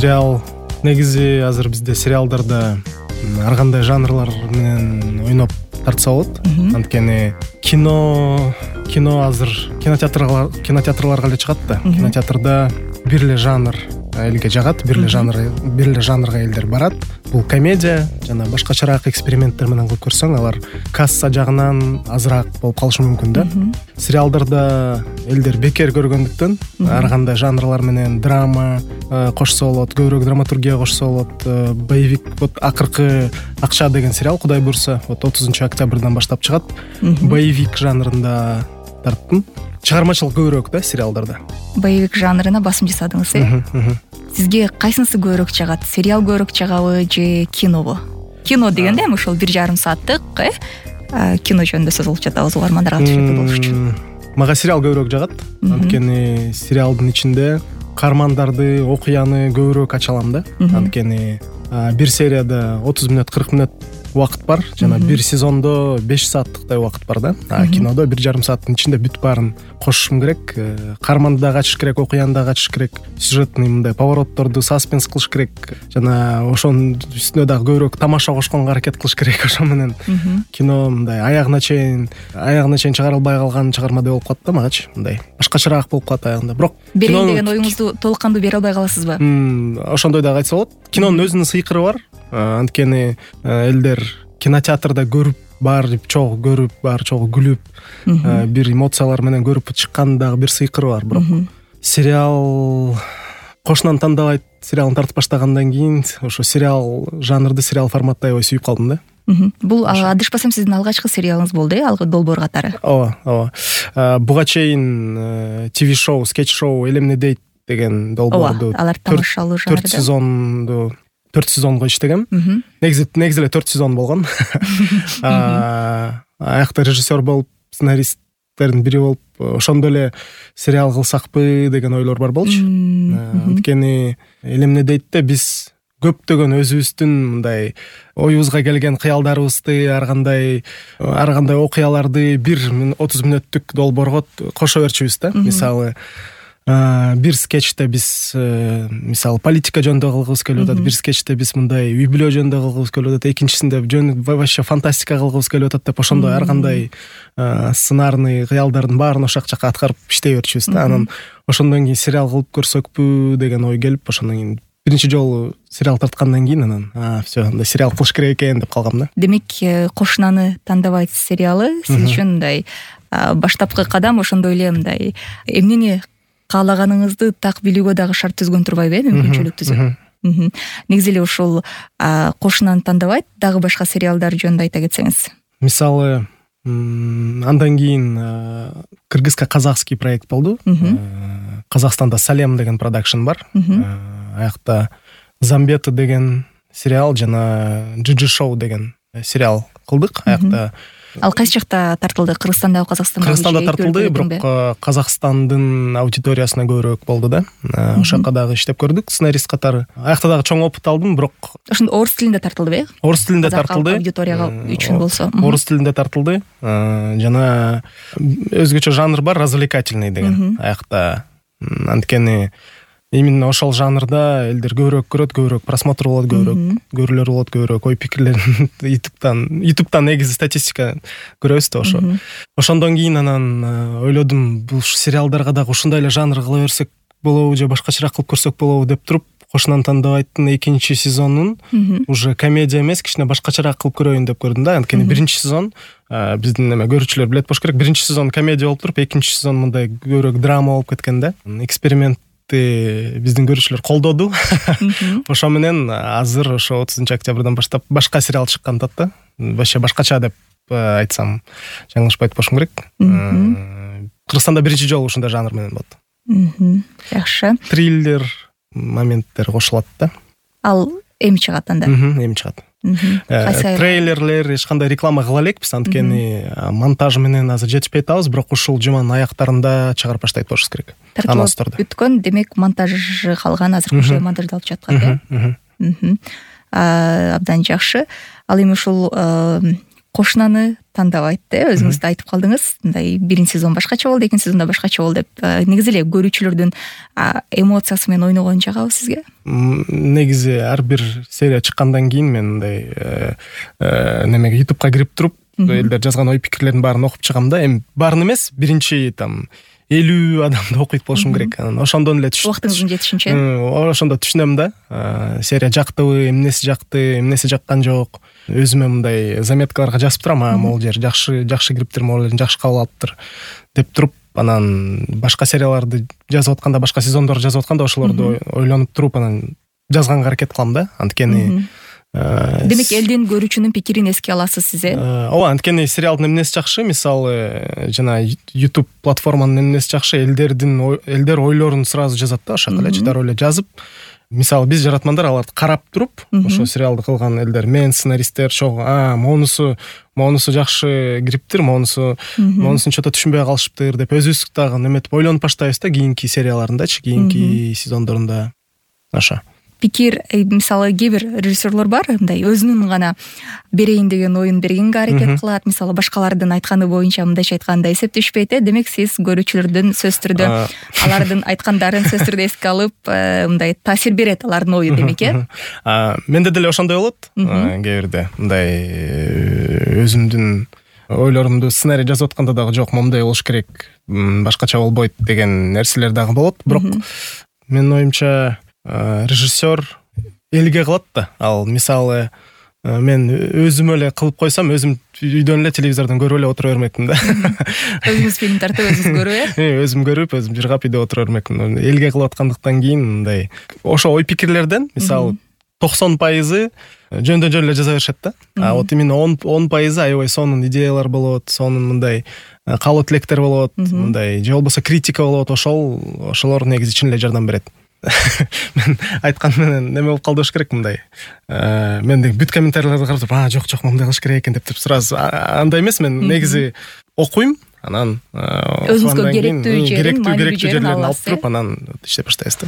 Сериал негизи азыр бизде сериалдарда ар кандай жанрлар менен ойноп тартса болот. Анткени кино азыр кинотеатрларга эле чыгат да. Кинотеатрда бир эле жанр элге жагат, бир эле жанрга элдер барат. Бул комедия жана башкачараак эксперименттер менен кылып көрсөң, алар касса жагынан азыраак болуп калышы мүмкүн да. Сериалдарда элдер бекер көргөндүктөн ар кандай жанрлар менен драма кошсо болот, көбүрөөк драматургия кошсо болот. Боевик, вот акыркы Акча деген сериал, Кудай буйрса, вот 30 октябрдан баштап чыгат. Боевик жанрында тарттым. Чыгармачылык көбүрөөк да сериалдарда. Боевик жанрына басым жасадыңыз, Сизге кайсынысы көбүрөөк чагат? Сериал көбүрөөк чагабы же кинобу? Кино дегенде эми ошол 1,5 сааттык кино жөнүндө сөз кылып жатабыз угармандарга түшүнүктүү болуш үчүн. Мага сериал көбүрөөк жагат. Анткени сериалдын ичинде каармандарды, окуяны көбүрөөк ача алам да. Анткени бир серияда 30 мүнөт, 40 мүнөт убакыт бар жана бир сезондо 5 сааттыктай убакыт бар да. Кинодо 1,5 сааттын ичинде бүт баарын кошушум керек. Каарманды дагы ачыш керек, окуяны дагы ачыш керек, сюжетный мындай поворотторду саспенс кылыш керек жана ошонун үстүнө дагы көбүрөөк тамаша кошконго аракет кылыш керек. Ошо менен кино мындай аягына чейин чыгарылбай калган чыгарма деп болуп калат да магачы. Мындай башкачараак болуп калат аягында. Бирок берейин деген оюңузду толук кандуу бере албай каласызбы? Ошондой дагы айтса болот. Кинонун өзүнүн сыйкыры бар. Анткени элдер кинотеатрда көрүп, баары чогуу көрүп, баары чогуу күлүп, бир эмоциялар менен көрүп чыккан дагы бир сыйкыры бар. Бирок сериал кошунан тандабайт сериалын тартып баштагандан кийин ошо сериал жанрды, сериал форматты аябай сүйүп калдым да. Бул адышпасам сиздин алгачкы сериалыңыз болду, алгы долбоор катары. Ооба. Буга чейин ТВ шоу, скетч шоу Элемне дейт деген долбоорду алар тамашалуу жанрда 4 сезонго иштегем. Негизи эле 4 сезон болгон. Аякта режиссер болуп, сценаристтердин бири болуп, ошондо эле сериал кылсакпы деген ойлор бар болчу. Анткени Элемне дейтте биз көптөгөн өзүбүздүн мындай оюбузга келген кыялдарыбызды, ар кандай окуяларды бир 30 мүнөттүк долбоорго кошо берчүбүз да. Мисалы бир скетчте биз мисалы политика жөнүндө кылгыбыз келип атат, бир скетчте биз мындай үй бүлө жөнүндө кылгыбыз келип атат, экинчисинде вообще фантастика кылгыбыз келип атат деп ошондой ар кандай сценарный кыялдардын баарын ошол жака аткарып иштей берчүбүз да. Анан ошондон кийин сериал кылып көрсөкпү деген ой келип, ошондон кийин биринчи жолу сериал тарткандан кийин анан все, андай сериал кылыш керек экен деп калгам да. Демек, Кошунаны тандабайт сериалы сиз үчүн мындай баштапкы кадам, ошондой эле мындай эмнени каалаганыңызды так билүүгө дагы шарт түзгөн турбайбы, мүмкүнчүлүк түзөт. Негизи эле ушул Кошунаны тандабайт дагы башка сериалдар жөнүндө айта кетсеңиз. Мисалы, андан кийин кыргызско-казахский проект болду. Казакстанда Салем деген продакшн бар. Аякта Замбета деген сериал жана Джиджи шоу деген сериал кылдык. Аякта Ал кайсы жакта тартылды? Кыргызстандабы, Казакстанда? Кыргызстанда тартылды, бирок Казакстандын аудиториясына көбүрөөк болду да. Ошол жака дагы иштеп көрдүк сценарист катары. Аякта дагы чоң опыт алдым, бирок ошондо орус тилинде тартылдыбы? Орус тилинде тартылды. Аудиторияга үчүн болсо. Орус тилинде тартылды. Жана өзгөчө жанр бар, развлекательный деген. Аякта анткени именно ошол жанрда элдер көбүрөөк көрөт, көбүрөөк просмотр болот, көбүрөөк көрүүлөр болот, көбүрөөк ой пикирлерин YouTube'дан негизи статистика көрөбүз да ошо. Ошондон кийин анан ойлодум, бул сериалдарга дагы ушундай эле жанр кыла берсек болобу же башкачараак кылып көрсөк болобу деп туруп, Кошунаны тандабайттын 2 сезонун уже комедия эмес, кичине башкачараак кылып көрөйүн деп көрдүм да. Анткени 1 сезон биздин көрүүчүлөр билет болуш керек. 1 сезон комедия болуп туруп, 2 сезон мындай көбүрөөк драма болуп кеткен да. Эксперимент биздин көрүүчүлөр колдоду. Ошо менен азыр ошо 30 октябрдан баштап башка сериал чыккан да. Вообще башкача деп айтсам жаңылышпайт болушум керек. Кыргызстанда биринчи жолу ушундай жанр менен болот. Жакшы. Триллер моменттер кошулат да. Ал эми чыгат анда? Эми чыгат. Трейлерлер, эч кандай реклама кыла элекпиз, анткени монтаж менен азыр жетишпей атабыз, бирок ушул жуманын аяктарында чыгарып баштайт болушубуз керек. Тартылып бүткөн, демек монтажы калган, азыр уже монтаждалып жаткан да. Абдан жакшы. Ал эми ушул кошунаны тандабайт өзүңүз да айтып калдыңыз, мындай биринчи сезон башкача болду, экинчи сезонда башкача болду деп. Негизи эле көрүүчүлөрдүн эмоциясы менен ойногон жагабы сизге? Негизи ар бир серия чыккандан кийин мен мындай немеге ютубка кирип туруп элдер жазган ой пикирлердин баарын окуп чыгам да. Эми баарын эмес, биринчи там 50 адамды окуйт болушум керек. Ошондон эле убактыңыздын жетишинче ошондо түшүнөм да. Серия жактыбы, эмнеси жакты, эмнеси жаккан жок. Өзүмө мындай заметкаларга жазып турам, могул жер жакшы кириптир, могул жерин жакшы кабыл алыптыр деп туруп, анан башка серияларды жазып атканда, башка сезондорду жазып атканда ошолорду ойлонуп туруп анан жазганга аракет кылам да. Анткени демек элдин, көрүүчүнүн пикирин эске аласыз сиз, ооба, анткени сериалдын эмнеси жакшы, мисалы жана YouTube платформанын эмнеси жакшы, элдер ойлорун сразу жазат да, ошол эле дароо эле жазып. Мисалы биз жаратмандар аларды карап туруп, ошо сериалды кылган элдер, мен сценаристтер чогуу, монусу жакшы кириптир, монусун чото түшүнбөй калышыптыр деп өзүбүз дагы неметип ойлонуп баштайбыз да, кийинки серияларындачы, кийинки сезондорунда. Ошо пикир, мисалы кээ бир режиссерлор бар, мындай өзүнүн гана берейин деген оюн бергенге аракет кылат, мисалы башкалардын айтканы боюнча мындайча айтканда эсептешпейт. Демек сиз көрүүчүлөрдүн сөзсүз түрдө алардын айткандарын сөзсүз түрдө эске алып, мындай таасир берет алардын ою, демек менде деле ошондой болот. Кээ бирде мындай өзүмдүн ойлорумду сценарий жазып атканда дагы жок, момундай болуш керек, башкача болбойт деген нерселер дагы болот. Бирок менин оюмча режиссер элге кылат да. Ал мисалы мен өзүм эле кылып койсом, өзүм үйдөн эле телевизордон көрүп эле отура бермекмин да. Өзүңүз фильм тартып, өзүңүз көрүп, өзүм көрүп, өзүм жыргап үйдө отура бермекмин. Элге кылып аткандыктан кийин мындай ошо ой пикирлерден мисалы 90% жөндөн жөн эле жаза беришет да. Вот именно 10% аябай сонун идеялар болот, сонун мындай каалоо тилектер болот, мындай же болбосо критика болот. Ошолор негизи чын эле жардам берет. Мен айткан менен неме болуп калды болуш керек, мындай мен бүт комментарийлерди карап туруп, жок моундай кылыш керек экен деп туруп сразу андай эмес. Мен негизи окуйм, анан өзүңүзгө керектүү жерлерин алып туруп, анан иштеп баштайбыз да.